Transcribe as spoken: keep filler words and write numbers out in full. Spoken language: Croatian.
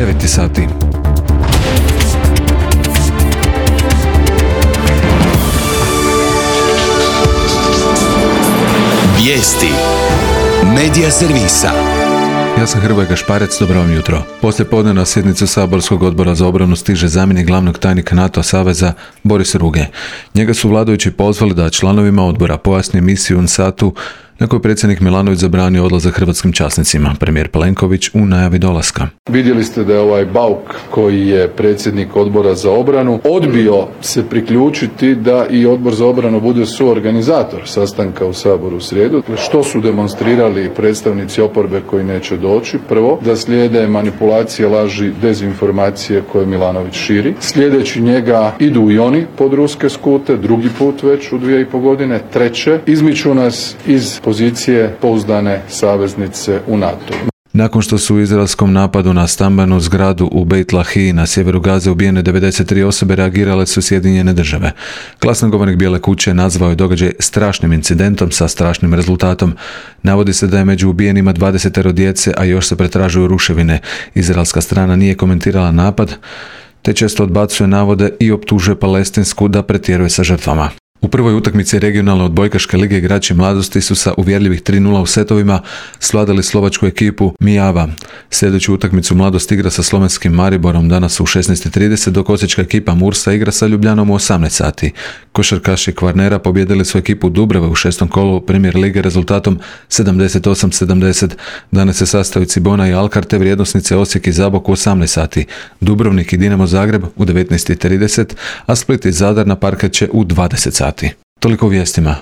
devet sati. Vijesti Medija servisa. Ja sam Hrvoje Gašparec, dobro vam jutro. Poslije podne na sjednicu Saborskog odbora za obranu stiže zamjenik glavnog tajnika NATO saveza Boris Ruge. Njega su vladajući pozvali da članovima odbora pojasni misiju U N S A T-u na koju predsjednik Milanović zabranio odlazak hrvatskim časnicima. Premijer Plenković u najavi dolaska. Vidjeli ste da je ovaj Bauk, koji je predsjednik odbora za obranu, odbio se priključiti da i odbor za obranu bude suorganizator sastanka u Saboru u srijedu. Što su demonstrirali predstavnici oporbe koji neće doći? Prvo, da slijede manipulacije, laži, dezinformacije koje Milanović širi. Sljedeći njega idu i oni pod ruske skute, drugi put već u dvije i po godine. Treće, izmiču nas iz pozicije pouzdane saveznice u NATO. Nakon što su u izraelskom napadu na stambenu zgradu u Beit Lahiji na sjeveru Gaze ubijene devedeset tri osobe, reagirale su Sjedinjene države. Glasnogovornik Bijele kuće nazvao je događaj strašnim incidentom sa strašnim rezultatom. Navodi se da je među ubijenima dvadeset djece, a još se pretražuju ruševine. Izraelska strana nije komentirala napad, te često odbacuje navode i optužuje Palestinsku da pretjeruje sa žrtvama. U prvoj utakmici regionalne odbojkaške lige igrači mladosti su sa uvjerljivih tri nula u setovima svladali slovačku ekipu Mijava. Sljedeću utakmicu mladost igra sa slovenskim Mariborom danas u šesnaest i trideset, dok osječka ekipa Mursa igra sa Ljubljanom u osamnaest sati. Košarkaši Kvarnera pobijedili su ekipu Dubrave u šestom kolu Premier lige rezultatom sedamdeset osam sedamdeset. Danas se sastaju Cibona i Alkar te vrijednosnice Osijek i Zabok u osamnaest sati. Dubrovnik i Dinamo Zagreb u devetnaest i trideset, a Split i Zadar na parket će u dvadeset sati. Toliko u vijestima.